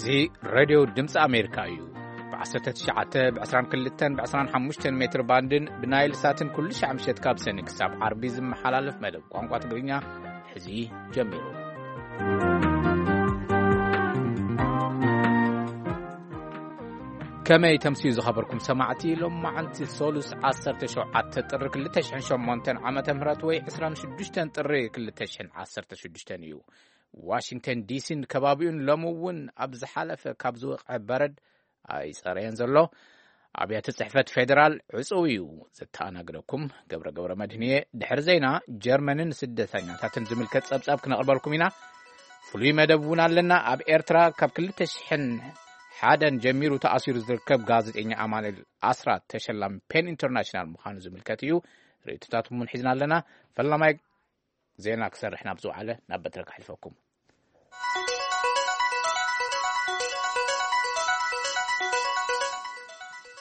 እዚ ሬድዮ ድምፂ ኣሜሪካ እዩ። ብ19፣ ብ22፣ ብ25 ሜትር ባንድን ብናይል ሳትን ኩሉ ሻዕ ምሸት ካብ ሰኒ ክሳብ ዓርቢ ዝመሓላለፍ መደብ ቋንቋ ትግርኛ ሕዚ ጀሚሩ። ከመይ ተምስዩ ዝኸበርኩም ሰማዕቲ? ሎም መዓልቲ ሶሉስ 17 ጥሪ 2008 ዓመተ ምህረት ወይ 26 ጥሪ 2016 እዩ። ዋሽንግተን ዲሲን ከባቢኡን ሎሚ እውን ኣብ ዝሓለፈ ካብ ዝወቕዐ በረድ ኣይጸረየን ዘሎ። ኣብያተ ጽሕፈት ፌደራል ዕጹው እዩ። ዘተኣናግደኩም ገብረ ገብረ መድህንየ። ድሕሪ ዜና፣ ጀርመንን ስደተኛታትን ዝምልከት ጸብጻብ ክነቕርበልኩም ኢና። ፍሉይ መደብ እውን ኣለና። ኣብ ኤርትራ ካብ 2001 ጀሚሩ ተኣሲሩ ዝርከብ ጋዜጠኛ ኣማኑኤል ኣስራት ተሸላሚ ፔን ኢንተርናሽናል ምዃኑ ዝምልከት እዩ። ርእይቶታትኩም እውን ሒዝና ኣለና። ፈላማይ ዜና ክሰርሕ ናብ ዝወዓለ ናብ በትረ ከሕልፈኩም።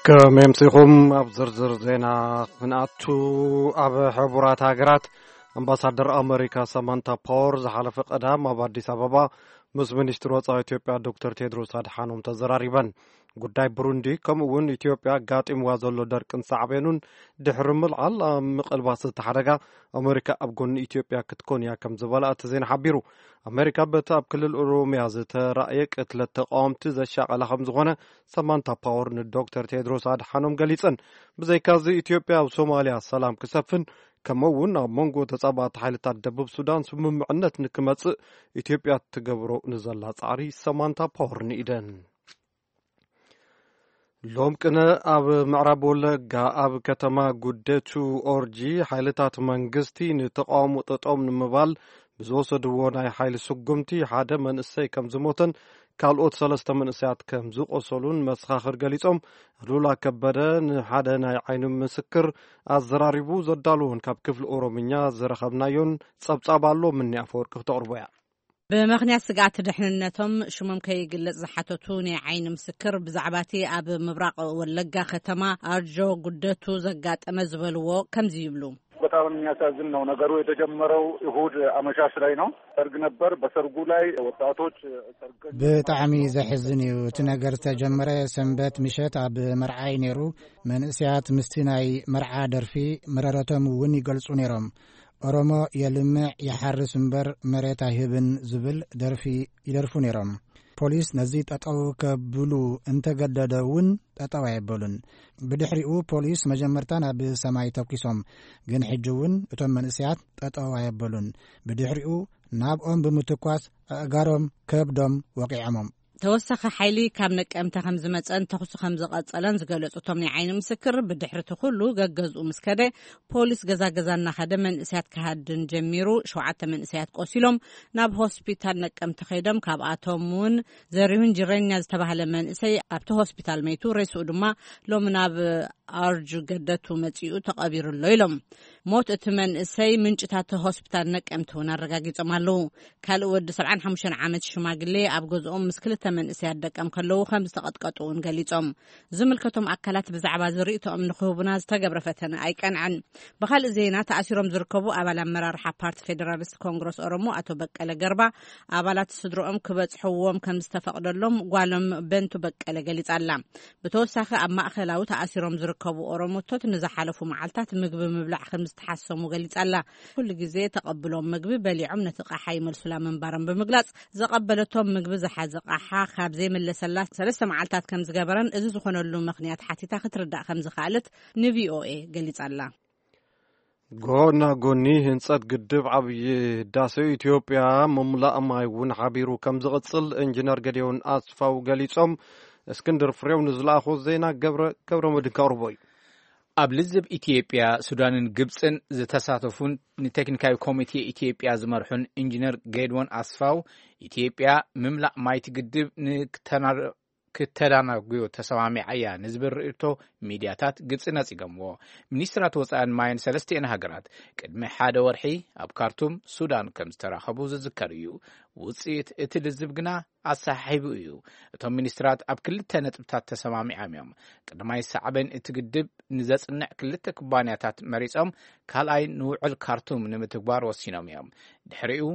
ከመይ ኣምሲኹም? ኣብ ዝርዝር ዜና ክንኣቱ፣ ኣብ ሕቡራት ሃገራት ኣምባሳደር ኣመሪካ ሰማንታ ፓወር ዝሓለፈ ቀዳም ኣብ ኣዲስ ኣበባ ምስ ሚኒስትር ወጻኢ ኢትዮጵያ ዶክተር ቴድሮስ ኣድሓኖም ተዘራሪበን። ጉዳይ ብሩንዲ ከምኡ እውን ኢትዮጵያ ኣጋጢምዋ ዘሎ ደርቅን ሳዕቤኑን ድሕሪ ምልዓል ኣብ ምቕልባስ እቲ ሓደጋ ኣመሪካ ኣብ ጎኒ ኢትዮጵያ ክትኮን እያ ከም ዝበላ እቲ ዜና ሓቢሩ። ኣመሪካ በቲ ኣብ ክልል ኦሮሚያ ዝተራእየ ቅትለት ተቃወምቲ ዘሻቐላ ከም ዝኾነ ሰማንታ ፓወር ንዶክተር ቴድሮስ ኣድሓኖም ገሊጸን። ብዘይካዚ ኢትዮጵያ ኣብ ሶማሊያ ሰላም ክሰፍን ከምኡ እውን ኣብ መንጎ ተጻባእቲ ሓይልታት ደቡብ ሱዳን ስምምዕነት ንክመጽእ ኢትዮጵያ ትገብሮ ንዘላ ጻዕሪ ሰማንታ ፓወር ንኢደን። ሎም ቅነ ኣብ ምዕራብ ወለጋ ኣብ ከተማ ጉደቱ ኦርጂ ሓይልታት መንግስቲ ንተቃውሞ ጠጠው ንምባል ብዝወሰድዎ ናይ ሓይሊ ስጉምቲ ሓደ መንእሰይ ከም ዝሞተን ካልኦት ሰለስተ መንእሰያት ከም ዝቆሰሉን መሰኻኽር ገሊጾም። ሉላ ከበደ ንሓደ ናይ ዓይኒ ምስክር ኣዘራሪቡ ዘዳለዎን ካብ ክፍሊ ኦሮምኛ ዝረኸብናዮን ጸብጻብ ኣሎ። ምኒ ኣፈወርቂ ክተቕርቦ እያ። ብምኽንያት ስግኣት ድሕንነቶም ሽሞም ከይግለጽ ዝሓተቱ ናይ ዓይኒ ምስክር ብዛዕባ እቲ ኣብ ምብራቕ ወለጋ ከተማ ኣርጆ ጉደቱ ዘጋጠመ ዝበልዎ ከምዚ ይብሉ። በጣም የሚያሳዝን ነው። ነገሩ የተጀመረው እሁድ አመሻሽ ላይ ነው። ሰርግ ነበር። በሰርጉ ላይ ወጣቶች ሰርገኞች ብጣዕሚ ዘሕዝን እዩ። እቲ ነገር ዝተጀመረ ሰንበት ምሸት ኣብ መርዓ እዩ ነይሩ። መንእሰያት ምስቲ ናይ መርዓ ደርፊ መረረቶም እውን ይገልጹ ነይሮም። ኦሮሞ የልምዕ ይሓርስ እምበር መሬት ኣይህብን ዝብል ደርፊ ይደርፉ ነይሮም። ፖሊስ ነዚ ጠጠው ከብሉ እንተገደደ እውን ጠጠው ኣየበሉን። ብድሕሪኡ ፖሊስ መጀመርታ ናብ ሰማይ ተኩሶም፣ ግን ሕጂ እውን እቶም መንእሰያት ጠጠው ኣየበሉን። ብድሕሪኡ ናብኦም ብምትኳስ ኣእጋሮም ከብዶም ወቂዖሞም። ተወሳኺ ሓይሊ ካብ ነቀምተ ከም ዝመጸን ተኹሲ ከም ዝቐጸለን ዝገለጹ እቶም ናይ ዓይኒ ምስክር፣ ብድሕሪ እቲ ኩሉ ገገዝኡ ምስ ከደ ፖሊስ ገዛ ገዛ እናኸደ መንእሰያት ክሃድን ጀሚሩ። ሸውዓተ መንእሰያት ቆሲሎም ናብ ሆስፒታል ነቀምተ ከይዶም። ካብኣቶም እውን ዘሪሁን ጅረኛ ዝተባህለ መንእሰይ ኣብቲ ሆስፒታል መይቱ። ሬስኡ ድማ ሎሚ ናብ ኣርጁ ገደቱ መጺኡ ተቐቢሩ ኣሎ ኢሎም። ሞት እቲ መንእሰይ ምንጭታት ሆስፒታል ነቀምቲ እውን ኣረጋጊጾም ኣለዉ። ካልእ ወዲ 75 ዓመት ሽማግሌ ኣብ ገዝኦም ምስ ክልተ መንእሰያት ደቀም ከለዉ ከም ዝተቐጥቀጡ እውን ገሊጾም። ዝምልከቶም ኣካላት ብዛዕባ ዝርእይቶኦም ንክህቡና ዝተገብረ ፈተነ ኣይቀንዐን። ብኻልእ ዜና፣ ተኣሲሮም ዝርከቡ ኣባል ኣመራርሓ ፓርቲ ፌደራሊስት ኮንግረስ ኦሮሞ ኣቶ በቀለ ገርባ ኣባላት ስድሮኦም ክበጽሕዎም ከም ዝተፈቕደሎም ጓሎም በንቱ በቀለ ገሊጻ ኣላ። ብተወሳኺ ኣብ ማእከላዊ ተኣሲሮም ዝርከቡ ኦሮሞቶት ንዝሓለፉ መዓልታት ምግቢ ምብላዕ ከም ዝተሓሰሙ ገሊጻ ኣላ። ኩሉ ግዜ ተቐብሎም ምግቢ በሊዖም ነቲ ቃሓ ይመልሱላ ምንባሮም ብምግላጽ፣ ዘቐበለቶም ምግቢ ዝሓዘ ቃሓ ካብ ዘይመለሰላ ሰለስተ መዓልታት ከም ዝገበረን እዚ ዝኾነሉ ምኽንያት ሓቲታ ክትርዳእ ከም ዝኸኣለት ንቪኦኤ ገሊጻ ኣላ። ጎና ጎኒ ህንጸት ግድብ ዓብዪ ህዳሴ ኢትዮጵያ ምምላእ ማይ እውን ሓቢሩ ከም ዝቕጽል ኢንጂነር ገዲዮን ኣስፋው ገሊጾም። እስክንድር ፍሬው ንዝለኣኾ ዜና ገብረ፣ ገብረ መድህን ከቕርቦ እዩ። ኣብ ልዝብ ኢትዮጵያ፣ ሱዳንን ግብጽን ዝተሳተፉን ንቴክኒካዊ ኮሚቴ ኢትዮጵያ ዝመርሑን ኢንጂነር ጌድዎን ኣስፋው፣ ኢትዮጵያ ምምላእ ማይቲ ግድብ ንክተና-፣ ክተዳናጉዮ ተሰማሚዓ እያ ንዝብል ርእይቶ ሚድያታት ግብጺ ነጺጎምዎ። ሚኒስትራት ወጻእን ማይን ሰለስቲኤን ሃገራት ቅድሚ ሓደ ወርሒ ኣብ ካርቱም ሱዳን ከም ዝተራኸቡ ዝዝከር እዩ። ውጽኢት እቲ ልዝብ ግና ኣሰሓሒቡ እዩ። እቶም ሚኒስትራት ኣብ ክልተ ነጥብታት ተሰማሚዖም እዮም። ቀዳማይ፣ ሳዕቤን እቲ ግድብ ንዘጽንዕ ክልተ ኩባንያታት መሪጾም፣ ካልኣይ፣ ንውዕል ካርቱም ንምትግባር ወሲኖም እዮም። ድሕሪኡ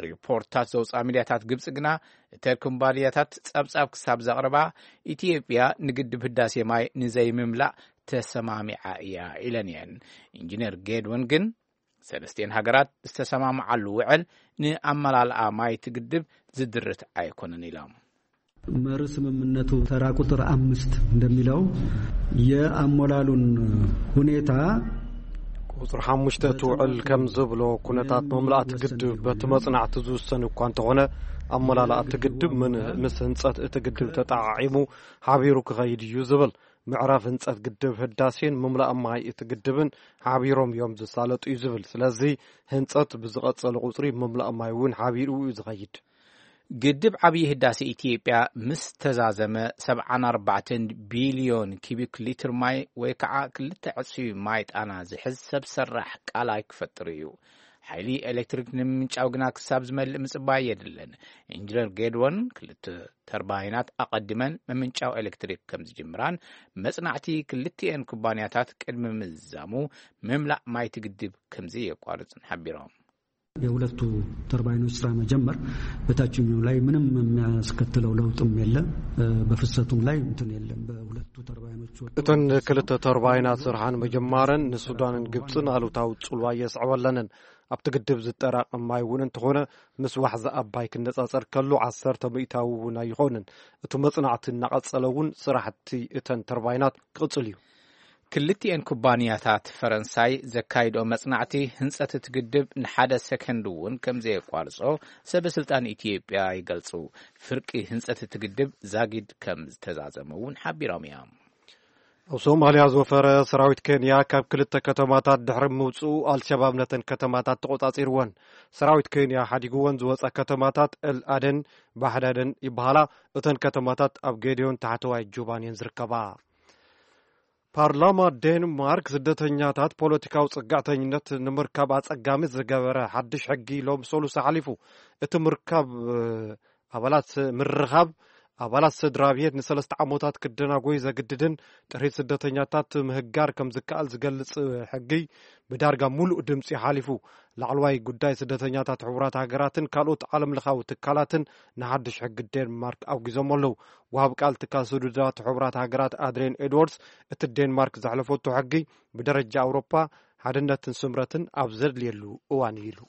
ሪፖርትታት ዘውፅኣ ሚድያታት ግብፂ ግና፣ እተን ኩባንያታት ፀብፃብ ክሳብ ዘቕርባ፣ ኢትዮጵያ ንግድብ ህዳሴ ማይ ንዘይምምላእ ተሰማሚዓ እያ ኢለን እየን። ኢንጂነር ጌድወን ግን፣ ሰለስቲኤን ሃገራት ዝተሰማምዓሉ ውዕል ንኣመላልኣ ማይ እቲ ግድብ ዝድርት ኣይኮነን ኢሎም። መር ስምምነቱ ተራ ቁጥር አምስት እንደሚለው የአሞላሉን ሁኔታ ቁፅሪ ሓሙሽተ እቲ ውዕል ከም ዝብሎ፣ ኩነታት መምላእቲ ግድብ በቲ መፅናዕቲ ዝውሰን እኳ እንተኾነ፣ ኣመላልኣ እቲ ግድብ ምን ምስ ህንፀት እቲ ግድብ ተጠዓዒሙ ሓቢሩ ክኸይድ እዩ ዝብል። ምዕራፍ ህንፀት ግድብ ህዳሴን ምምላእ ማይ እቲ ግድብን ሓቢሮም እዮም ዝሳለጡ እዩ ዝብል። ስለዚ ህንፀት ብዝቐፀለ ቁፅሪ ምምላእ ማይ እውን ሓቢሩ እዩ ዝኸይድ። ግድብ ዓብዪ ህዳሴ ኢትዮጵያ ምስ ተዛዘመ፣ ሰብዓን ኣርባዕተን ቢልዮን ኪቢክ ሊትር ማይ ወይ ከዓ ክልተ ዕፅፊ ማይ ጣና ዝሕዝ ሰብ ሰራሕ ቃላይ ክፈጥር እዩ። ሓይሊ ኤሌክትሪክ ንምምንጫው ግና ክሳብ ዝመልእ ምፅባይ የድልን። ኢንጂነር ጌድወን ክልተ ተርባይናት ኣቐዲመን ምምንጫው ኤሌክትሪክ ከም ዝጅምራን፣ መፅናዕቲ ክልቲኤን ኩባንያታት ቅድሚ ምዝዛሙ፣ ምምላእ ማይቲ ግድብ ከም ዘየቋርፅን ሓቢሮም። የሁለቱ ተርባይኖች ስራ መጀመር በታችኛው ላይ ምንም የሚያስከትለው ለውጥም የለ፣ በፍሰቱም ላይ እንትን የለም። በሁለቱ ተርባይኖች ወጥ እተን ክልተ ተርባይናት ስርሓን ምጅማረን ንሱዳንን ግብፅን ኣሉታዊ ፅልዋ የስዕበለንን። ኣብቲ ግድብ ዝጠራቐም ማይ እውን እንተኾነ፣ ምስ ዋሕዚ ኣባይ ክነፃፀር ከሎ ዓሰርተ ሚእታዊ እውን ኣይኾንን። እቲ መፅናዕቲ እናቐፀለ እውን ስራሕቲ እተን ተርባይናት ክቕፅል እዩ። ክልቲኤን ኩባንያታት ፈረንሳይ ዘካይድኦ መጽናዕቲ ህንጸት እቲ ግድብ ንሓደ ሰከንድ እውን ከም ዘየቋርጾ ሰበ ስልጣን ኢትዮጵያ ይገልጹ። ፍርቂ ህንጸት እቲ ግድብ ዛጊድ ከም ዝተዛዘመ እውን ሓቢሮም እዮም። ኣብ ሶማልያ ዝወፈረ ሰራዊት ኬንያ ካብ ክልተ ከተማታት ድሕሪ ምውፅኡ፣ ኣልሸባብ ነተን ከተማታት ተቆጻጺርወን። ሰራዊት ኬንያ ሓዲግወን ዝወፃ ከተማታት ኤል ኣደን፣ ባሕዳደን ይበሃላ። እተን ከተማታት ኣብ ጌዲዮን ታሕተዋይ ጁባን እየን ዝርከባ። ፓርላማ ዴንማርክ ስደተኛታት ፖለቲካዊ ጽግዕተኝነት ንምርካብ ኣጸጋሚ ዝገበረ ሓድሽ ሕጊ ሎም ሰሉስ ሓሊፉ። እቲ ምርካብ ኣባላት ምርኻብ ኣባላት ስድራ ቤት ንሰለስተ ዓመታት ክደናጎይ ዘግድድን ጥሪት ስደተኛታት ምህጋር ከም ዝከኣል ዝገልጽ ሕጊ ብዳርጋ ሙሉእ ድምጺ ሓሊፉ። ላዕለዋይ ጉዳይ ስደተኛታት ሕቡራት ሃገራትን ካልኦት ዓለም ለኻዊ ትካላትን ንሓድሽ ሕጊ ዴንማርክ ኣውጊዞም ኣለዉ። ወሃብ ቃል ትካል ስዱዳት ሕቡራት ሃገራት ኣድሬን ኤድዋርድስ፣ እቲ ዴንማርክ ዘሕለፈቶ ሕጊ ብደረጃ ኣውሮፓ ሓድነትን ስምረትን ኣብ ዘድልየሉ እዋን እዩ ኢሉ።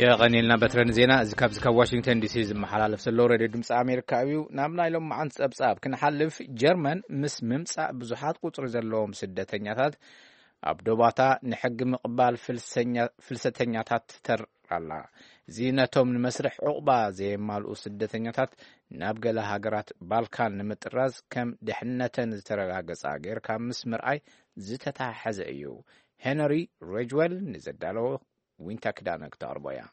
የቐኒልና በትረን ዜና እዚ ካብዚ ካብ ዋሽንግተን ዲሲ ዝመሓላለፍ ዘሎ ሬድዮ ድምፂ ኣሜሪካ እዩ። ናብ ናይ ሎም መዓንቲ ፀብፃብ ክንሓልፍ፣ ጀርመን ምስ ምምፃእ ብዙሓት ቁፅሪ ዘለዎም ስደተኛታት ኣብ ዶባታ ንሕጊ ምቕባል ፍልሰተኛታት ትተር ኣላ። እዚ ነቶም ንመስርሕ ዕቑባ ዘየማልኡ ስደተኛታት ናብ ገለ ሃገራት ባልካን ንምጥራዝ ከም ድሕነተን ዝተረጋገጻ ጌርካ ምስ ምርኣይ ዝተተሓሓዘ እዩ። ሄነሪ ሬጅወል ንዘዳለዎ ዊንታ ክዳነ ክተቕርቦ እያ።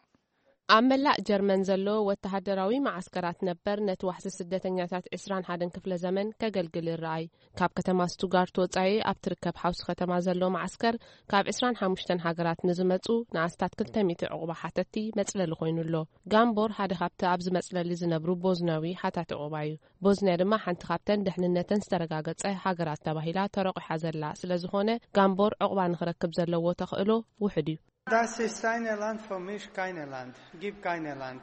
ኣብ መላእ ጀርመን ዘሎ ወተሃደራዊ መዓስከራት ነበር ነቲ ዋሕዚ ስደተኛታት ዕስራን ሓደን ክፍለ ዘመን ከገልግል ይረኣይ። ካብ ከተማ ስቱጋርት ወጻኢ ኣብ ትርከብ ሓውሲ ከተማ ዘሎ መዓስከር ካብ ዕስራን ሓሙሽተን ሃገራት ንዝመጹ ንኣስታት ክልተ ሚእቲ ዕቑባ ሓተቲ መጽለሊ ኮይኑ ኣሎ። ጋምቦር ሓደ ካብቲ ኣብዚ መጽለሊ ዝነብሩ ቦዝናዊ ሓታቲ ዕቑባ እዩ። ቦዝንያ ድማ ሓንቲ ካብተን ድሕንነተን ዝተረጋገጸ ሃገራት ተባሂላ ተረቑሓ ዘላ ስለ ዝኾነ፣ ጋምቦር ዕቑባ ንኽረክብ ዘለዎ ተኽእሎ ውሑድ እዩ። Das ist seine Land, für mich keine Land. Gib keine Land.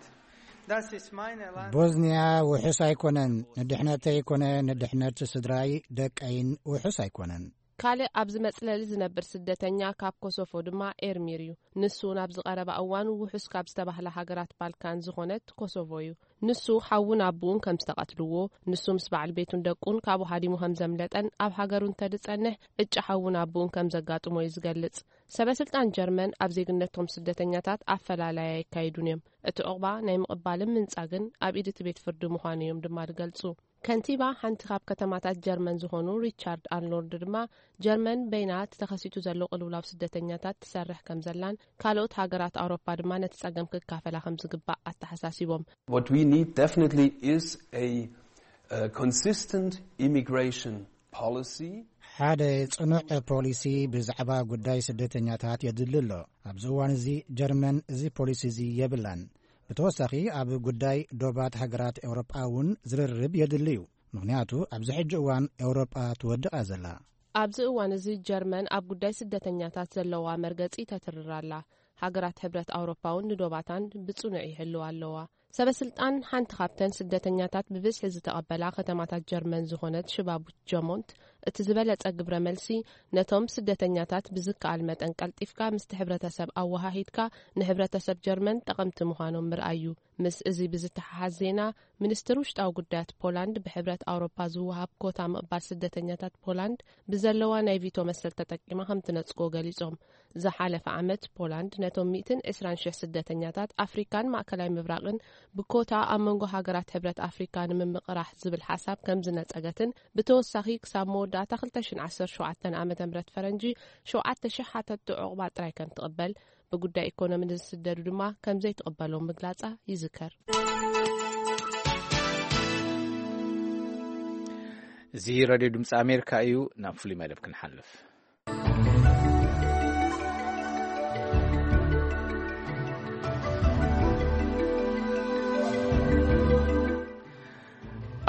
Das ist meine Land. ቦዝንያ ውሑስ ኣይኮነን። ንድሕነተይ ኮነ ንድሕነት ስድራይ፣ ደቀይን ውሑስ ኣይኮነን። ካልእ ኣብዚ መጽለሊ ዝነብር ስደተኛ ካብ ኮሶቮ ድማ ኤርሚር እዩ። ንሱ ናብ ዝቐረባ እዋን ውሑስ ካብ ዝተባህላ ሃገራት ባልካን ዝኾነት ኮሶቮ እዩ። ንሱ ሓውን ኣቦኡን ከም ዝተቐትልዎ፣ ንሱ ምስ በዓል ቤቱን ደቁን ካብኡ ሃዲሙ ከም ዘምለጠን ኣብ ሃገሩ እንተድጸንሕ ዕጫ ሓውን ኣቦኡን ከም ዘጋጥሞ እዩ ዝገልጽ። ሰበ ስልጣን ጀርመን ኣብ ዜግነቶም ስደተኛታት ኣፈላላይ ኣየካይዱን እዮም። እቲ ዑቕባ ናይ ምቕባልን ምንጻግን ኣብ ኢድ እቲ ቤት ፍርዲ ምዃኑ እዮም ድማ ዝገልጹ። ከንቲባ ሓንቲ ካብ ከተማታት ጀርመን ዝኾኑ ሪቻርድ ኣርኖልድ ድማ፣ ጀርመን በይና እቲ ተኸሲቱ ዘሎ ቅልውላው ስደተኛታት ትሰርሕ ከም ዘላን ካልኦት ሃገራት ኣውሮፓ ድማ ነቲ ጸገም ክካፈላ ከም ዝግባእ ኣተሓሳሲቦም። What we need definitely is a, uh, consistent immigration policy. ሓደ ጽኑዕ ፖሊሲ ብዛዕባ ጉዳይ ስደተኛታት የድሊ ኣሎ። ኣብዚ እዋን እዚ ጀርመን እዚ ፖሊሲ እዚ የብላን። ብተወሳኺ ኣብ ጉዳይ ዶባት ሃገራት ኤውሮጳ እውን ዝርርብ የድሊ እዩ። ምኽንያቱ ኣብዚ ሕጂ እዋን ኤውሮጳ ትወድቕ እያ ዘላ። ኣብዚ እዋን እዚ ጀርመን ኣብ ጉዳይ ስደተኛታት ዘለዋ መርገጺ ተትርር ኣላ። ሃገራት ሕብረት ኣውሮፓ እውን ንዶባታን ብጽኑዕ ይሕልዋ ኣለዋ። ሰበ ስልጣን ሓንቲ ካብተን ስደተኛታት ብብዝሒ ዝተቐበላ ከተማታት ጀርመን ዝኾነት ሽባቡት ጀሞንት፣ እቲ ዝበለጸ ግብረ መልሲ ነቶም ስደተኛታት ብዝከኣል መጠን ቀልጢፍካ ምስቲ ሕብረተሰብ ኣወሃሂድካ ንሕብረተሰብ ጀርመን ጠቐምቲ ምዃኖም ምርኣይ እዩ። ምስ እዚ ብዝተሓሓዝ ዜና፣ ሚኒስትር ውሽጣዊ ጉዳያት ፖላንድ ብሕብረት ኣውሮፓ ዝወሃብ ኮታ ምቕባል ስደተኛታት ፖላንድ ብዘለዋ ናይ ቪቶ መሰል ተጠቂማ ከም ትነጽጎ ገሊጾም። ዝሓለፈ ዓመት ፖላንድ ነቶም ሚእትን ዕስራን ሽሕ ስደተኛታት ኣፍሪካን ማእከላይ ምብራቕን ብኮታ ኣብ መንጎ ሃገራት ሕብረት ኣፍሪካ ንምምቕራሕ ዝብል ሓሳብ ከም ዝነጸገትን ብተወሳኺ ክሳብ መወዳእታ ክልተ ሽሕን ዓሰርተ ሸውዓተን ዓመተ ምህረት ፈረንጂ ሸውዓተ ሽሕ ሓተቲ ዑቕባ ጥራይ ከም ትቕበል ብጉዳይ ኢኮኖሚ ንዝስደዱ ድማ ከም ዘይትቕበሎም ምግላጻ ይዝከር። እዚ ሬድዮ ድምፂ ኣሜሪካ እዩ። ናብ ፍሉይ መደብ ክንሓልፍ።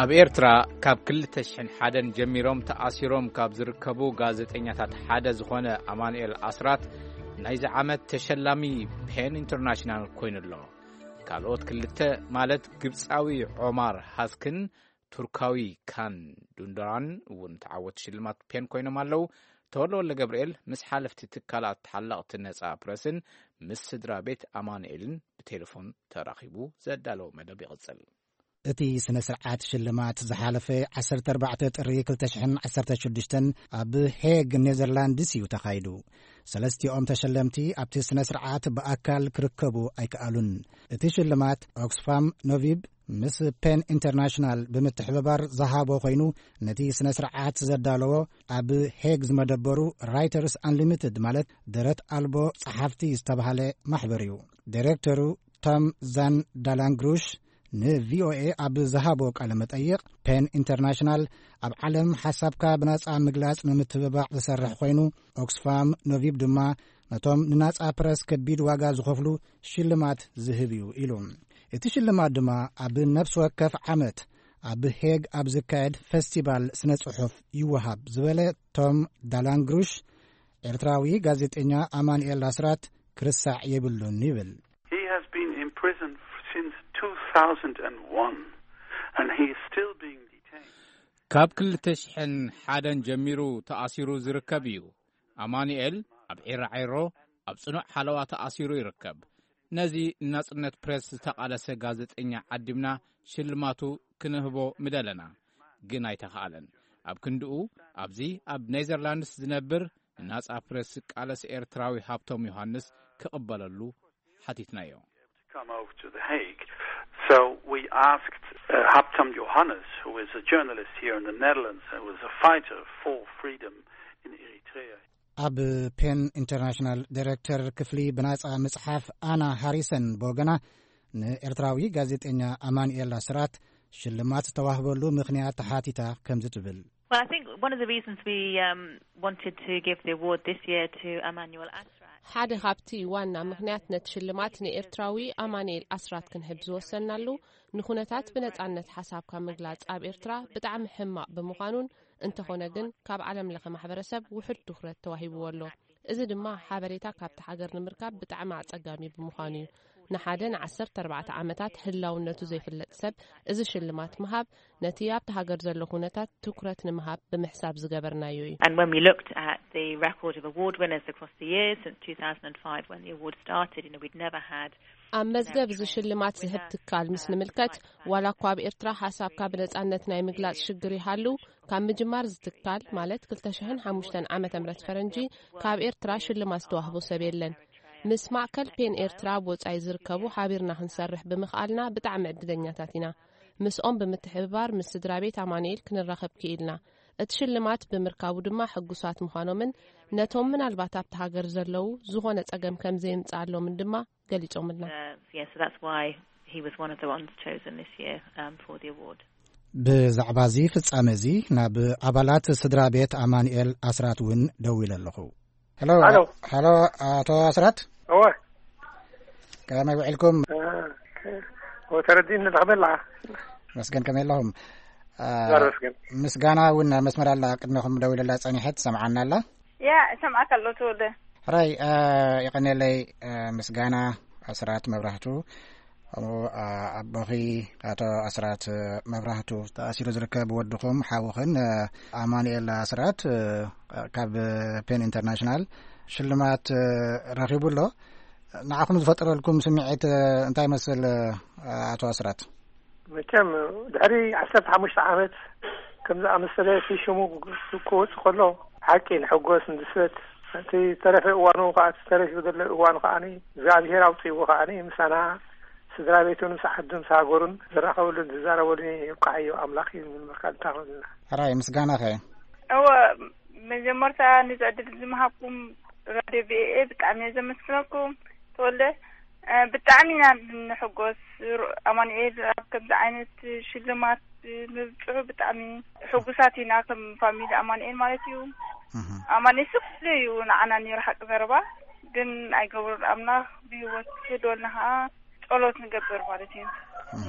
ኣብ ኤርትራ ካብ ክልተ ሽሕን ሓደን ጀሚሮም ተኣሲሮም ካብ ዝርከቡ ጋዜጠኛታት ሓደ ዝኾነ ኣማኑኤል ኣስራት ናይዚ ዓመት ተሸላሚ ፔን ኢንተርናሽናል ኮይኑ ኣሎ። ካልኦት ክልተ ማለት ግብጻዊ ዖማር ሃስክን ቱርካዊ ካን ዱንዶራን እውን ተዓወቲ ሽልማት ፔን ኮይኖም ኣለዉ። ተወልደ ወልደ ገብርኤል ምስ ሓለፍቲ ትካላት ተሓለቕቲ ነጻ ፕረስን ምስ ስድራ ቤት ኣማኑኤልን ብቴሌፎን ተራኺቡ ዘዳለዎ መደብ ይቕጽል። እቲ ስነ ስርዓት ሽልማት ዝሓለፈ ዓሰርተ ኣርባዕተ ጥሪ ክልተ ሽሕን ዓሰርተ ሽዱሽተን ኣብ ሄግ ኔዘርላንድስ እዩ ተኻይዱ። ሰለስቲኦም ተሸለምቲ ኣብቲ ስነ ስርዓት ብኣካል ክርከቡ ኣይከኣሉን። እቲ ሽልማት ኦክስፋም ኖቪብ ምስ ፔን ኢንተርናሽናል ብምትሕብባር ዝሃቦ ኮይኑ፣ ነቲ ስነ ስርዓት ዘዳለዎ ኣብ ሄግ ዝመደበሩ ራይተርስ ኣንሊሚትድ ማለት ደረት ኣልቦ ጸሓፍቲ ዝተባህለ ማሕበር እዩ። ዳይሬክተሩ ቶም ዛን ዳላንግሩሽ ንቪኦኤ ኣብ ዝሃቦ ቃለ መጠይቕ፣ ፔን ኢንተርናሽናል ኣብ ዓለም ሓሳብካ ብናጻ ምግላጽ ንምትብባዕ ዝሰርሕ ኮይኑ፣ ኦክስፋም ኖቪብ ድማ ነቶም ንናጻ ፕረስ ከቢድ ዋጋ ዝኸፍሉ ሽልማት ዝህብ እዩ ኢሉ። እቲ ሽልማት ድማ ኣብ ነፍሲ ወከፍ ዓመት ኣብ ሄግ ኣብ ዝካየድ ፈስቲቫል ስነ ጽሑፍ ይወሃብ ዝበለ ቶም ዳላንግሩሽ፣ ኤርትራዊ ጋዜጠኛ ኣማኑኤል ኣስራት ክርስዕ የብሉን ይብል። He has been in prison since two thousand one, and he is still being detained. ካብ ክልተ ሽሕን ሓደን ጀሚሩ ተኣሲሩ ዝርከብ እዩ። ኣማኑኤል ኣብ ዒራዒሮ ኣብ ጽኑዕ ሓለዋ ተኣሲሩ ይርከብ። ነዚ ንናጽነት ፕሬስ ዝተቓለሰ ጋዜጠኛ ዓዲምና ሽልማቱ ክንህቦ ምደለና፣ ግን ኣይተኻእለን። ኣብ ክንድኡ ኣብዚ ኣብ ኔዘርላንድስ ዝነብር ንናጻ ፕሬስ ዝቃለስ ኤርትራዊ ሃብቶም ዮሃንስ ክቕበለሉ ሓቲትናዮ። Come over to The Hague. So we asked uh, Haptam Johannes, who is a journalist here in the Netherlands and was a fighter for freedom in Eritrea. ኣብ ፔን ኢንተርናሽናል ዳይሬክተር ክፍሊ ብናጻ ምጽሓፍ ኣና ሃሪሰን ብወገና፣ ንኤርትራዊ ጋዜጠኛ ኣማኑኤል ኣስራት ሽልማት ዝተዋህበሉ ምኽንያት ተሓቲታ ከምዚ ትብል። Well, I think one of the reasons we um, wanted to give the award this year to Emmanuel Asrat ሓደ ካብቲ ዋና ምኽንያት ነቲ ሽልማት ንኤርትራዊ ኣማኑኤል ኣስራት ክንህብ ዝወሰናሉ፣ ንኹነታት ብነጻነት ሓሳብካ ምግላጽ ኣብ ኤርትራ ብጣዕሚ ሕማቕ ብምዃኑን፣ እንተኾነ ግን ካብ ዓለም ለኸ ማሕበረሰብ ውሑድ ትኹረት ተዋሂብዎ ኣሎ። እዚ ድማ ሓበሬታ ካብቲ ሃገር ንምርካብ ብጣዕሚ ኣጸጋሚ ብምዃኑ እዩ። ንሓደ ንዓሰርተ ኣርባዕተ ዓመታት ህላውነቱ ዘይፍለጥ ሰብ እዚ ሽልማት ምሃብ፣ ነቲ ኣብቲ ሃገር ዘሎ ኩነታት ትኩረት ንምሃብ ብምሕሳብ ዝገበርናዮ እዩ። And when we looked at the record of award winners across the years since two thousand five, when the award started, you know, we'd never had ኣብ መዝገብ እዚ ሽልማት ዝህብ ትካል ምስ ንምልከት፣ ዋላ እኳ ኣብ ኤርትራ ሓሳብካ ብነጻነት ናይ ምግላጽ ሽግር ይሃሉ፣ ካብ ምጅማር ዝትካል ማለት ክልተ ሽሕን ሓሙሽተን ዓመተ ምህረት ፈረንጂ ካብ ኤርትራ ሽልማት ዝተዋህቦ ሰብ የለን። ምስ ማእከል ፔን ኤርትራ ኣብ ወጻኢ ዝርከቡ ሓቢርና ክንሰርሕ ብምኽኣልና ብጣዕሚ ዕድለኛታት ኢና። ምስኦም ብምትሕብባር ምስ ስድራ ቤት ኣማኑኤል ክንራኸብ ክኢልና። እቲ ሽልማት ብምርካቡ ድማ ሕጉሳት ምዃኖምን ነቶም ምናልባት ኣብቲ ሃገር ዘለዉ ዝኾነ ጸገም ከም ዘየምጽኣሎምን ድማ ገሊጾምልና። Uh, yeah, so that's why he was one of the ones chosen this year um, for the award. ብዛዕባ እዚ ፍጻመ እዚ ናብ ኣባላት ስድራ ቤት ኣማኑኤል ኣስራት እውን ደዊለ ኣለኹ። ሄሎ። ሄሎ። ሄሎ፣ ኣቶ ኣስራት። እወ። ከመይ ውዒልኩም? እ፣ ወተረዲን ንረኽበላ። መስገን፣ ከመይ ኣለኹም? እ፣ ጋር መስገን። ምስጋና እውን ኣብ መስመር ኣላ፣ ቅድሚኹም ደዊለላ ጸኒሐት ትሰምዓና ኣላ። ያ፣ እሰምዓካ ኣሎ ተወልደ። ሕራይ፣ እ፣ ይቐንየለይ፣ እ፣ ምስጋና ኣስራት መብራህቱ። ከምኡ፣ እ፣ ኣቦኺ ኣቶ ኣስራት መብራህቱ ተኣሲሩ ዝርከብ ወድኹም ሓውኽን፣ እ፣ ኣማኑኤል ኣስራት፣ እ፣ ካብ ፔን ኢንተርናሽናል ሽልማት፣ እ፣ ረኺቡ ኣሎ። ንዓኹም ዝፈጠረልኩም ስምዒት፣ እ፣ እንታይ ይመስል፣ እ፣ ኣቶ ኣስራት? መቸም ድሕሪ ዓሰርተ ሓሙሽተ ዓመት ከም ዝኣመሰለ እቲ ሽሙ ክወጽእ ከሎ፣ ሓቂ ንሕጎስ ንድሰት። እቲ ተረፈ እዋኑ ከዓ፣ እቲ ተረፊ ዘሎ እዋኑ ከዓኒ እግዚኣብሔር ኣውፅእዎ ከዓኒ ምሳና ስድራ ቤቱን ምስ ዓዱን ምስ ሃገሩን ዝራኸበሉን ዝዛረበሉን ይብቃዓዮ ኣምላኽ እዩ ንብል። መርካል እንታ ክብልና። ሕራይ ምስጋናኸ? እወ፣ መጀመርታ ነዚ ዕድል እዚ ምሃብኩም ራድዮ ቪኦኤ ብጣዕሚ እየ ዘመስግነኩም። ተወልደ፣ እ፣ ብጣዕሚ ኢና ንሕጎስ። ሩ-፣ ኣማኑኤል ኣብ ከምዚ ዓይነት ሽልማት ምብጽሑ ብጣዕሚ ሕጉሳት ኢና፣ ከም ፋሚሊ ኣማኑኤል ማለት እዩ። እህ። ኣማኑኤል ስፍሉ እዩ ንዓና ነይሩ ሓቂ ዘረባ፣ ግን ኣይገብሮን ኣምላኽ ብህይወት ክህልወልና ከዓ ጸሎት ንገብር ማለት እዩ። እህ።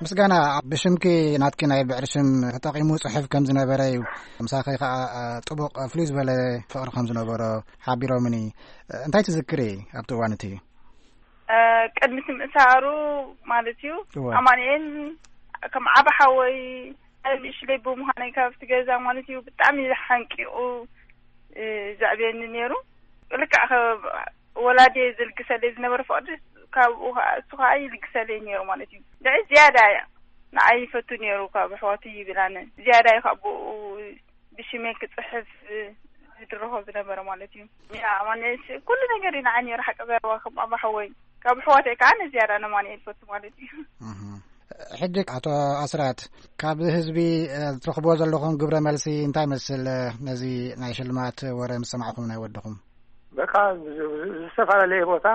ምስጋና፣ ብሽምኪ ናትኪ ናይ ብዕሪ ሽም ተጠቒሙ ጽሑፍ ከም ዝነበረ እዩ። ምሳኺ ከዓ፣ እ፣ ጥቡቕ፣ እ፣ ፍሉይ ዝበለ ፍቕሪ ከም ዝነበሮ ሓቢሮምኒ። እ፣ እንታይ ትዝክሪ ኣብቲ እዋን እቲ? እ፣ ቅድሚ እቲ ምእሳሩ ማለት እዩ። እወ። ኣማኑኤል ከም ዓቢ ሓወይ፣ ንእሽለይ ብምዃነይ ካብቲ ገዛ ማለት እዩ ብጣዕሚ ሓንቂቑ፣ እ፣ ዘዕብየኒ ነይሩ። ልክዕ ከ-፣ ወላዲየ ዝልግሰለይ ዝነበረ ፍቕሪ ካብኡ ከኣ፣ እሱ ከኣ ይልግሰለይ ነይሩ ማለት እዩ። ልዕሊ ዝያዳ ንዓይ ይፈቱ ነይሩ ካብ ኣሕዋቱ ይብል ኣነ። ዝያዳ እዩ ካብ ብኡ ብሽመይ ክጽሕፍ ዝድርኾ ዝነበረ ማለት እዩ። ያ፣ ኣማኑኤል ኩሉ ነገር እዩ ንዓይ ነይሩ ሓቂ ዘረባ ከም ኣባ ሓወይ። ካብ ኣሕዋተይ ከኣ ንዝያዳ ነማኑኤል ይፈቱ ማለት እዩ። እህ። ሕጂ ኣቶ ኣስራት፣ ካብ ህዝቢ፣ እ፣ ትረኽብዎ ዘለኹም ግብረ መልሲ እንታይ ይመስል? እ፣ ነዚ ናይ ሽልማት ወረ ምስ ሰማዕኹም ናይ ወድኹም? በቃ፣ ዝ-፣ ዝ-፣ ዝተፈላለየ ቦታ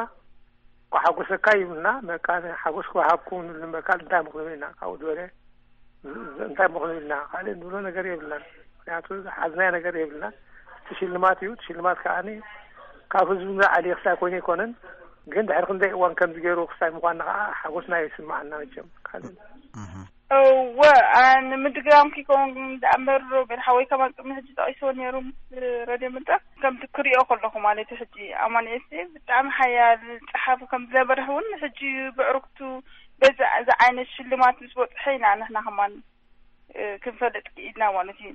እኳ ሓጎሰካ ይብልና፣ በቃ፣ ሓጎስ ክወሃብኩም ንብል፣ በቃ፣ እንታይ ምኽንብል ኢና፣ ካብኡ ዝበለ ዝ-፣ ዝ-፣ እንታይ ምኽንብል ኢና፣ ካልእ ንብሎ ነገር የብልናን። ምኽንያቱ ዝሓዝናዮ ነገር የብልናን። እቲ ሽልማት እዩ። እቲ ሽልማት ከዓኒ ካብ ህዝቢ ንላዕሊ ክሳይ ኮይኑ ኣይኮነን፣ ግን ድሕሪ ክንደይ እዋን ከምዚ ገይሩ ክሳይ ምዃንና ከዓ ሓጎስና ይስምዓና መቸም። ካልእ እህ። እወ፣ ኣ፣ ንምድጋም ክኸውን ደኣ እምበር፣ ሮቤል ሓወይ ከማን ቅድሚ ሕጂ ጠቒስዎ ነይሩ ምስ ረድዮ መድረኽ። ከምቲ ክሪኦ ከለኹ ማለት እዩ፣ ሕጂ ኣማኑኤል ሲ ብጣዕሚ ሓያል ጸሓፊ ከም ዝነበረ እውን ሕጂ ብዕርክቱ በዚ፣ እዚ ዓይነት ሽልማት ምስ በጽሐ ኢና ንሕና ከማን፣ እ፣ ክንፈልጥ ክኢልና ማለት እዩ።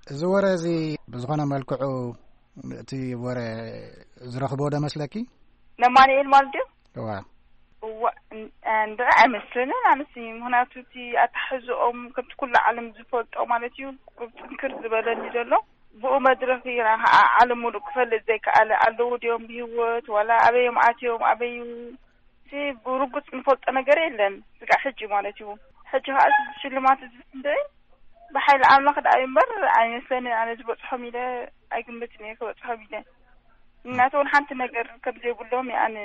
እዚ ወረ እዚ ብዝኾነ መልክዑ እቲ ወረ ዝረኽቦ ዶ መስለኪ? ነማንኤል ማለት ድዩ? እዋ። እዋ፣ ን-፣ እንድዒ ኣይመስለንን ኣነሲ። ምኽንያቱ እቲ ኣተሓሕዝኦም ከምቲ ኩሉ ዓለም ዝፈልጦ ማለት እዩ፣ ጥንክር ዝበለኒ ዘሎ። ብኡ መድረኽ ኢና ዓ-፣ ዓለም ሙሉእ ክፈልጥ ዘይከኣለ። ኣለዉ ድዮም ብህይወት? ዋላ ኣበዮም ኣትዮም? ኣበዩ? እቲ ብርጉጽ ንፈልጦ ነገር የለን። ስጋዕ ሕጂ ማለት እዩ። ሕጂ ከኣ እዚ ሽልማት እዚ እንድዒ ብሓይሊ ኣምላኽ ደኣ እዩ እምበር ኣይመስለንን ኣነ ዝበጽሖም ኢለ ኣይግምትን እየ ክበጽሖም ኢለ። እናተ እውን ሓንቲ ነገር ከም ዘይብሎም እየ ኣነ።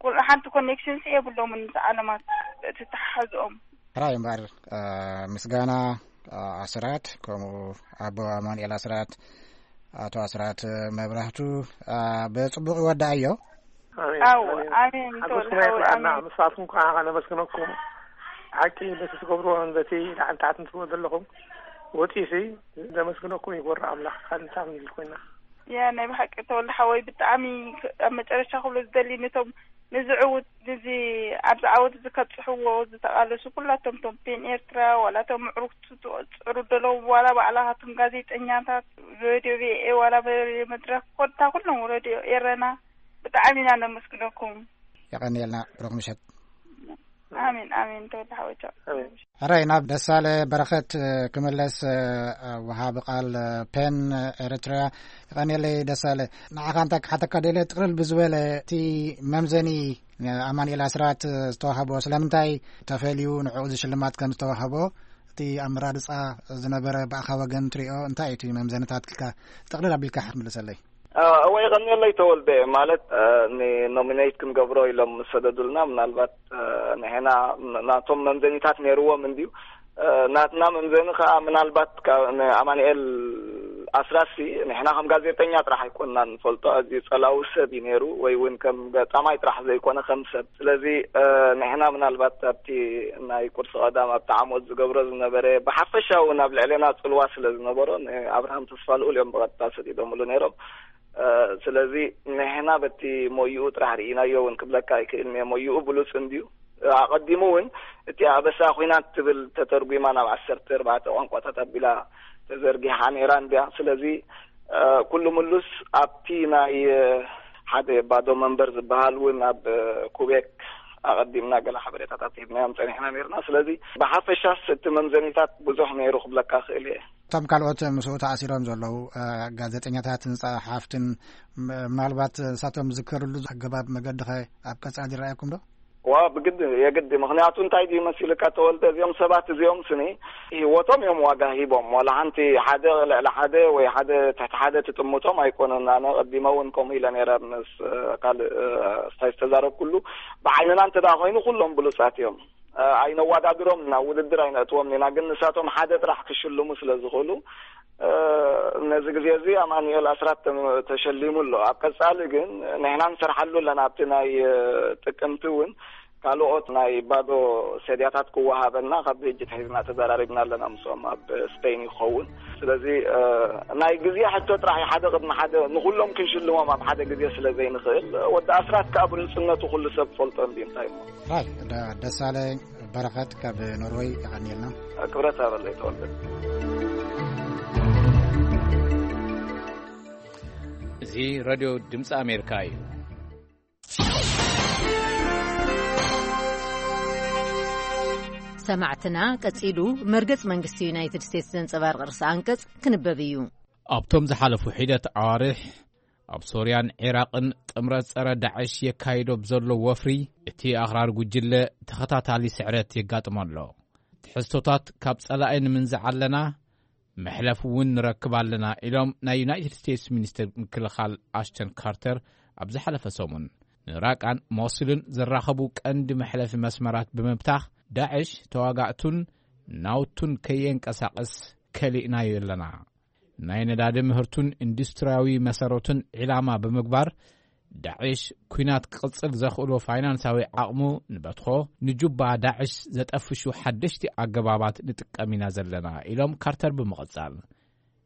ኩሉ ሓንቲ ኮኔክሽንስ የብሎምን ምስ ዓለማት እቲ ተሓሓዝኦም። ሕራይ እምበኣር፣ እ፣ ምስጋና፣ እ፣ ኣስራት፣ ከምኡ ኣቦ ኣማኑኤል ኣስራት፣ ኣቶ ኣስራት መብራህቱ፣ እ፣ ብጽቡቕ ይወዳእዮ። ኣሜን፣ ኣው፣ ኣሜን። ኣሜን፣ ሓጎስና ተወልደ ሓወይ፣ የብልዓና። ኣሜን። ንሳትኩም ከዓ ከነመስግነኩም። ሓቂ በቲ ትገብርዎን በቲ ላዕሊ ታሕቲ ትብልዎ ዘለኹም ወፂኡሲ ዘመስግነኩም ይጎርእ ኣምላኽ። ካልእ እንታይ ክንብል ኮይና? ያ፣ ናይ ብሓቂ ተወልደ ሓወይ፣ ብጣዕሚ ክ-፣ ኣብ መጨረሻ ክብሎ ዝደሊ ነቶም ነዚ ዕውት፣ ነዚ ኣብዚ ዓወት እዚ ከብጽሕዎ ዝተቓለሱ ኩላቶም፣ ቶም ፔን ኤርትራ፣ ዋላ ቶም ምዕሩግቱ ትጽዕሩ ዘለዉ፣ ዋላ ባዕላኻትኩም ጋዜጠኛታት፣ ሬድዮ ቪኦኤ፣ ዋላ ሬድዮ መድረኽ፣ ኮታ ኩሎም ሬድዮ ኤረና፣ ብጣዕሚ ኢና ነመስግነኩም። የቐንየልና፣ ብሩኽ ምሸት። ኣሜን፣ ኣሜን፣ ተወልደ ሓወይ፣ ቻው። ኣሜን። ሕራይ፣ ናብ ደሳለ በረኸት ክምለስ፣ ወሃቢ ቃል ፔን ኤርትራ። የቐንየለይ ደሳለ። ንዓኻ እንታይ ክሓተካ ደልየ፣ ጥቕልል ብዝበለ እቲ መምዘኒ ኣማኑኤል ኣስራት ዝተዋህቦ ስለምንታይ ተፈልዩ ንዕኡ እዚ ሽልማት ከም ዝተዋህቦ፣ እቲ ኣመራርጻ ዝነበረ ብኣኻ ወገን ትሪኦ እንታይ እዩ እቲ መምዘንታት ኢልካ ጥቕልል ኣቢልካ ክትምልሰለይ? እ፣ እወ፣ የቐንየለይ ተወልደ። ማለት፣ እ፣ ንኖሚኔት ክንገብሮ ኢሎም ምስ ሰደዱልና፣ ምናልባት፣ እ፣ ንሕና ን-፣ ናቶም መምዘኒታት ነይርዎም እንድዩ። እ፣ ናትና መምዘኒ ከኣ ምናልባት ካብ ንኣማኑኤል ኣስራሲ ንሕና ከም ጋዜጠኛ ጥራሕ ኣይኮንና ንፈልጦ፣ ኣዝዩ ጸላዊ ሰብ እዩ ነይሩ፣ ወይ እውን ከም ገጣማይ ጥራሕ ዘይኮነ ከም ሰብ። ስለዚ እ፣ ንሕና ምናልባት ኣብቲ ናይ ቁርሲ ቀዳም ኣብቲ ዓሞት ዝገብሮ ዝነበረ ብሓፈሻ እውን ኣብ ልዕሌና ጽልዋ ስለ ዝነበሮ ንኣብርሃም ተስፋ ልኡል እዮም ብቐጥታ ሰዲዶምሉ ነይሮም። እ፣ ስለዚ ንሕና በቲ ሞይኡ ጥራሕ ርኢናዮ እውን ክብለካ ኣይክእልን እየ። ሞይኡ ብሉጽ እንድዩ። ኣቐዲሙ እውን እቲ ኣበሳ ኲናት ትብል ተተርጒማ ናብ ዓሰርተ ኣርባዕተ ቋንቋታት ኣቢላ ተዘርጊሓ ነይራ እንድያ። ስለዚ እ፣ ኩሉ ምሉስ ኣብቲ ናይ እ፣ ሓደ ባዶ መንበር ዝበሃል እውን ኣብ እ፣ ኩቤክ ኣቐዲምና ገለ ሓበሬታታት ሂብናዮም ጸኒሕና ነይርና። ስለዚ ብሓፈሻስ እቲ መምዘኒታት ብዙሕ ነይሩ ክብለካ ክእል እየ። እቶም ካልኦት ምስኡ ተኣሲሮም ዘለዉ እ፣ ጋዜጠኛታትን ጸሓፍትን ም- ምናልባት ንሳቶም ዝከርሉ ኣገባብ መገዲ ኸ ኣብ ቀጻሊ ይረኣየኩም ዶ? ዋ ብግድ የግድ። ምክንያቱ እንታይ ድዩ መሲልካ ተወልደ፣ እዚኦም ሰባት እዚኦም ስኒ ህይወቶም እዮም ዋጋ ሂቦም። ዋላ ሓንቲ ሓደ ልዕሊ ሓደ ወይ ሓደ ትሕቲ ሓደ ትጥምቶም ኣይኮነን። ኣነ ቀዲመ እውን ከምኡ ኢለ ነይረ ምስ እ፣ ካልእ እ፣ ስታይ ዝተዛረብኩሉ። ብዓይንና እንተ ደኣ ኮይኑ ኩሎም ብሉጻት እዮም። እ፣ ኣይነዋዳድሮም ኢና፣ ውድድር ኣይነእትዎም ኢና። ግን ንሳቶም ሓደ ጥራሕ ክሽልሙ ስለ ዝኽእሉ እ፣ ነዚ ግዜ እዚ ኣማኑኤል ኣስራት ተም- ተሸሊሙ ኣሎ። ኣብ ቀጻሊ ግን ንሕና ንሰርሓሉ ኣለና። ኣብቲ ናይ እ፣ ጥቅምቲ እውን ካልኦት ናይ ባዶ ሰድያታት ክወሃበና ካብ ሕጂ ትሒዝና ተዘራሪብና ኣለና ምስኦም ኣብ ስፔን ይኸውን። ስለዚ እ፣ ናይ ግዜ ሕቶ ጥራሕ እዩ። ሓደ ቅድሚ ሓደ ንኩሎም ክንሽልሞም ኣብ ሓደ ግዜ ስለ ዘይንኽእል፣ ወዲ ኣስራት ከኣ ብሉጽነቱ ኩሉ ሰብ ፈልጦ እንዲ እንታይ እሞ። ራይ ደ- ደሳለኝ በረኸት ካብ ኖርወይ የቐንየልና። ክብረት ኣበለይ ተወልደ። እዚ ሬድዮ ድምፂ ኣሜሪካ እዩ። ሰማዕትና፣ ቀጺሉ መርገጽ መንግስቲ ዩናይትድ ስቴትስ ዘንጸባርቕ ርእሰ ኣንቀጽ ክንበብ እዩ። ኣብቶም ዝሓለፉ ሒደት ኣዋርሕ ኣብ ሶርያን ዒራቕን ጥምረት ጸረ ዳዕሽ የካይዶ ብዘሎ ወፍሪ፣ እቲ ኣኽራሪ ጉጅለ ተኸታታሊ ስዕረት የጋጥሞ ኣሎ። ትሕዝቶታት ካብ ጸላኢ ንምንዛዕ ኣለና፣ መሕለፊ እውን ንረክብ ኣለና ኢሎም ናይ ዩናይትድ ስቴትስ ሚኒስትር ምክልኻል ኣሽተን ካርተር ኣብ ዝሓለፈ ሰሙን። ንራቃን ሞስልን ዘራኸቡ ቀንዲ መሕለፊ መስመራት ብምብታኽ፣ ዳዕሽ ተዋጋእቱን ናውቱን ከየንቀሳቕስ ከሊእናዮ ኣለና። ናይ ነዳዲ ምህርቱን ኢንዱስትሪያዊ መሰረቱን ዒላማ ብምግባር፣ ዳዕሽ ኲናት ክቕጽል ዘኽእሎ ፋይናንሳዊ ዓቕሙ ንበትኾ፣ ንጁባ ዳዕሽ ዘጠፍሹ ሓደሽቲ ኣገባባት ንጥቀም ኢና ዘለና ኢሎም ካርተር ብምቕጻል።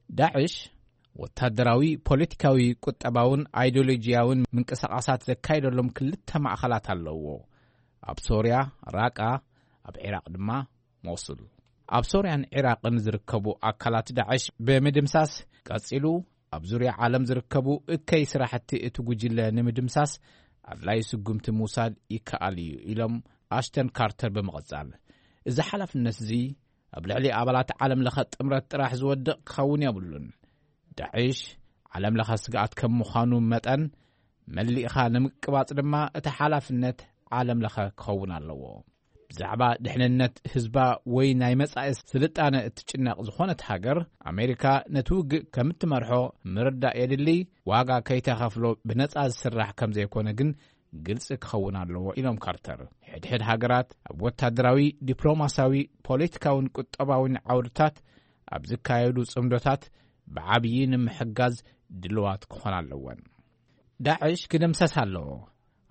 ዳዕሽ ወታደራዊ፣ ፖለቲካዊ፣ ቁጠባውን ኣይዲዮሎጂያውን ምንቅስቓሳት ዘካይደሎም ክልተ ማእኸላት ኣለዎ። ኣብ ሶርያ ራቃ፣ ኣብ ዒራቕ ድማ ሞሱል። ኣብ ሶርያን ዒራቕን ዝርከቡ ኣካላት ዳዕሽ ብምድምሳስ ቀጺሉ፣ ኣብ ዙርያ ዓለም ዝርከቡ እከይ ስራሕቲ እቲ ጉጅለ ንምድምሳስ ኣድላይ ስጉምቲ ምውሳድ ይከኣል እዩ ኢሎም ኣሽተን ካርተር ብምቕጻል። እዚ ሓላፍነት እዚ ኣብ ልዕሊ ኣባላት ዓለም ለኸ ጥምረት ጥራሕ ዝወድቕ ክኸውን የብሉን። ዳዕሽ ዓለም ለኸ ስግኣት ከም ምዃኑ መጠን መሊእኻ ንምቅባጽ ድማ እቲ ሓላፍነት ዓለም ለኸ ክኸውን ኣለዎ። ብዛዕባ ድሕንነት ህዝባ ወይ ናይ መጻኢ ስልጣነ እትጭነቕ ዝኾነት ሃገር፣ ኣሜሪካ ነቲ ውግእ ከም እትመርሖ ምርዳእ የድሊ። ዋጋ ከይተኸፍሎ ብነጻ ዝስራሕ ከም ዘይኮነ ግን ግልጺ ክኸውን ኣለዎ ኢሎም ካርተር። ሕድሕድ ሃገራት ኣብ ወታደራዊ፣ ዲፕሎማሲያዊ፣ ፖለቲካውን ቁጠባውን ዓውድታት ኣብ ዝካየዱ ጽምዶታት ብዓብዪ ንምሕጋዝ ድልዋት ክኾና ኣለወን። ዳዕሽ ክድምሰስ ኣለዎ።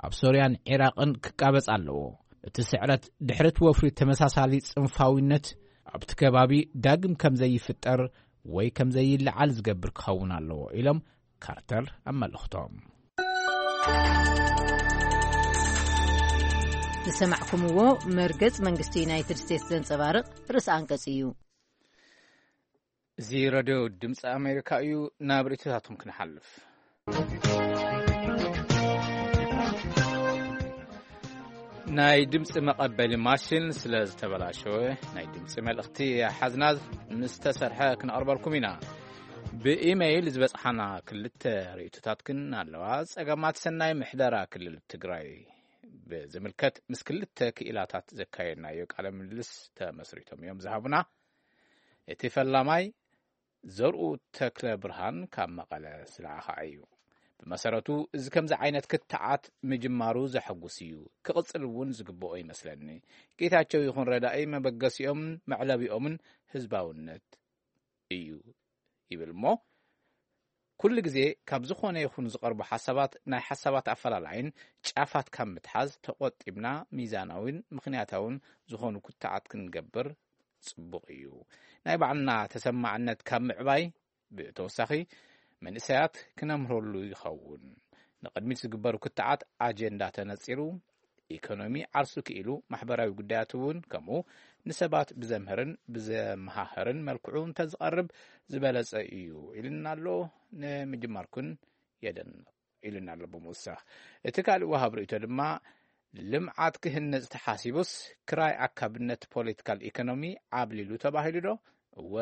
ኣብ ሶርያን ዒራቕን ክቃበጽ ኣለዎ። እቲ ስዕረት ድሕሪ እቲ ወፍሪ ተመሳሳሊ ጽንፋዊነት ኣብቲ ከባቢ ዳግም ከም ዘይፍጠር ወይ ከም ዘይለዓል ዝገብር ክኸውን ኣለዎ ኢሎም ካርተር ኣብ መልእኽቶም። ዝሰማዕኩምዎ መርገጽ መንግስቲ ዩናይትድ ስቴትስ ዘንጸባርቕ ርእሰ ኣንቀጽ እዩ። እዚ ረድዮ ድምፂ ኣሜሪካ እዩ። ናብ ርእይቶታትኩም ክንሓልፍ። ናይ ድምፂ መቐበሊ ማሽን ስለ ዝተበላሸወ ናይ ድምፂ መልእኽቲ ሓዝና ምስ ተሰርሐ ክነቕርበልኩም ኢና። ብኢመይል ዝበፅሓና ክልተ ርእይቶታት ግን ኣለዋ። ፀገማት ሰናይ ምሕደራ ክልል ትግራይ ብዝምልከት ምስ ክልተ ክኢላታት ዘካየድናዮ ቃለ ምልልስ ተመስሪቶም እዮም ዝሃቡና። እቲ ፈላማይ ዘርኡ ተክለ ብርሃን ካብ መቐለ ዝለኣኸ እዩ። ብመሰረቱ እዚ ከምዚ ዓይነት ክትዓት ምጅማሩ ዘሐጉስ እዩ፣ ክቕጽል እውን ዝግብኦ ይመስለኒ። ጌታቸው ይኹን ረዳኢ መበገሲኦም መዕለቢኦምን ህዝባውነት እዩ ይብል እሞ፣ ኩሉ ግዜ ካብ ዝኾነ ይኹን ዝቐርቡ ሓሳባት፣ ናይ ሓሳባት ኣፈላላይን ጫፋት ካብ ምትሓዝ ተቖጢብና፣ ሚዛናዊን ምኽንያታውን ዝኾኑ ክትዓት ክንገብር ጽቡቕ እዩ። ናይ ባዕልና ተሰማዕነት ካብ ምዕባይ ብተወሳኺ፣ መንእሰያት ክነምህረሉ ይኸውን። ንቕድሚት ዝግበሩ ክትዓት ኣጀንዳ ተነጺሩ፣ ኢኮኖሚ ዓርሱ ክኢሉ፣ ማሕበራዊ ጉዳያት እውን ከምኡ፣ ንሰባት ብዘምህርን ብዘመሃህርን መልክዑ እንተዝቐርብ ዝበለጸ እዩ ኢልና ኣሎ። ንምጅማርኩን የደንቕ ኢልና ኣሎ ብምውሳኽ። እቲ ካልእ ወሃብ ርእይቶ ድማ፣ ልምዓት ክህነጽ ተሓሲቡስ ክራይ ኣካብነት ፖለቲካል ኢኮኖሚ ዓብሊሉ ተባሂሉ ዶ? እወ፣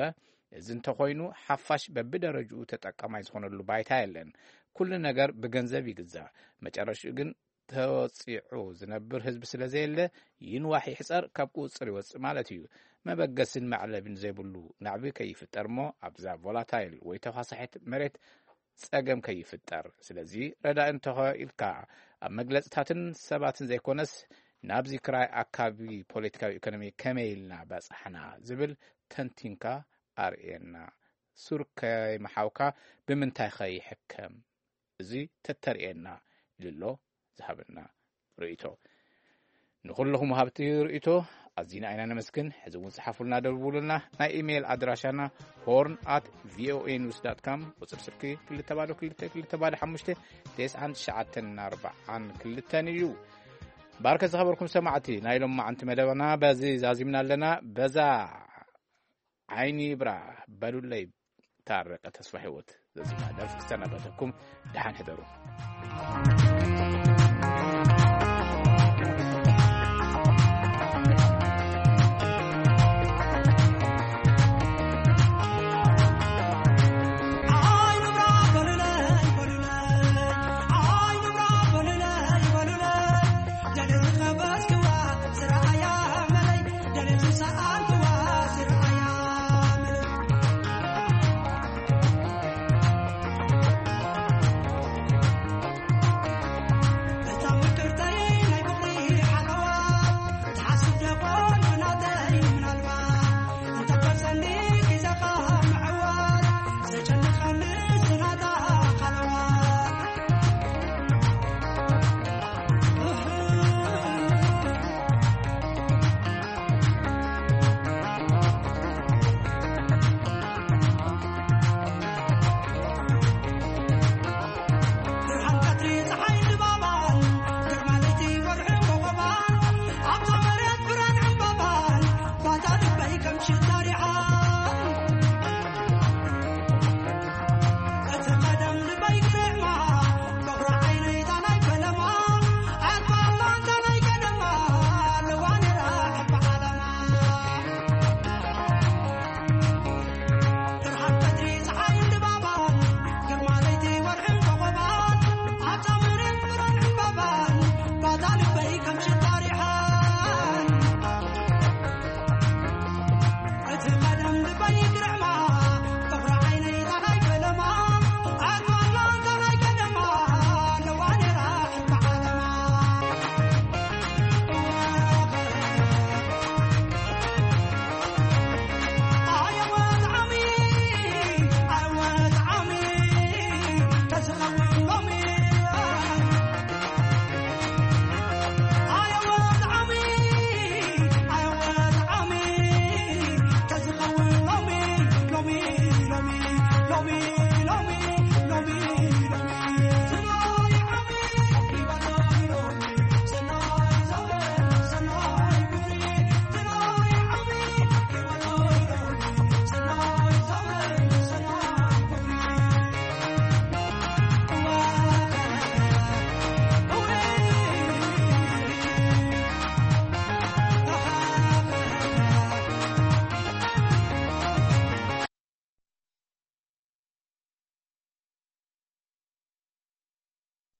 እዚ እንተኾይኑ ሓፋሽ በብደረጅኡ ተጠቃማይ ዝኾነሉ ባይታ የለን። ኩሉ ነገር ብገንዘብ ይግዛእ። መጨረሽኡ ግን ተወጺዑ ዝነብር ህዝቢ ስለ ዘየለ፣ ይንዋሕ ይሕጸር ካብ ቁጽጽር ይወጽእ ማለት እዩ። መበገስን መዕለቢን ዘይብሉ ናዕቢ ከይፍጠር እሞ ኣብዛ ቮላታይል ወይ ተፋሳሒት መሬት ጸገም ከይፍጠር። ስለዚ ረዳኢ እንተኾ ኢልካ ኣብ መግለጽታትን ሰባትን ዘይኮነስ ናብዚ ክራይ ኣካቢ ፖለቲካዊ ኢኮኖሚ ከመይ ኢልና በጻሕና ዝብል ተንቲንካ ኣርእየና። ሱር ከይመሓውካ ብምንታይ ከይሕከም እዚ ተተርእየና ኢሉ ኣሎ ዝሃበና ርእይቶ። ንኹልኹም ወሃብቲ ርእይቶ ኣዚና ኢና ነመስግን። ሕዚ እውን ጽሓፉልና፣ ደውሉልና። ናይ ኢሜይል ኣድራሻና ሆርን ኣት ቪኦኤ ኒውስ ዳት ካም፣ ቁጽሪ ስልኪ ክልተ ባዶ ክልተ ክልተ ባዶ ሓሙሽተ፣ ተስዓን ትሽዓተን ኣርባዓን ክልተን እዩ። ባርከ ዝኸበርኩም ሰማዕቲ፣ ናይ ሎማዓንቲ መደብና በዚ ዛዚምና ኣለና። በዛ ዓይኒ ይብራ በሉለይ፣ ታረቀ ተስፋ ህይወት ዘዚማ ደርፊ ክሰናበተኩም፣ ደሓን ሕደሩ።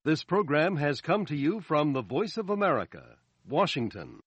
This program has come to you from the Voice of America, Washington.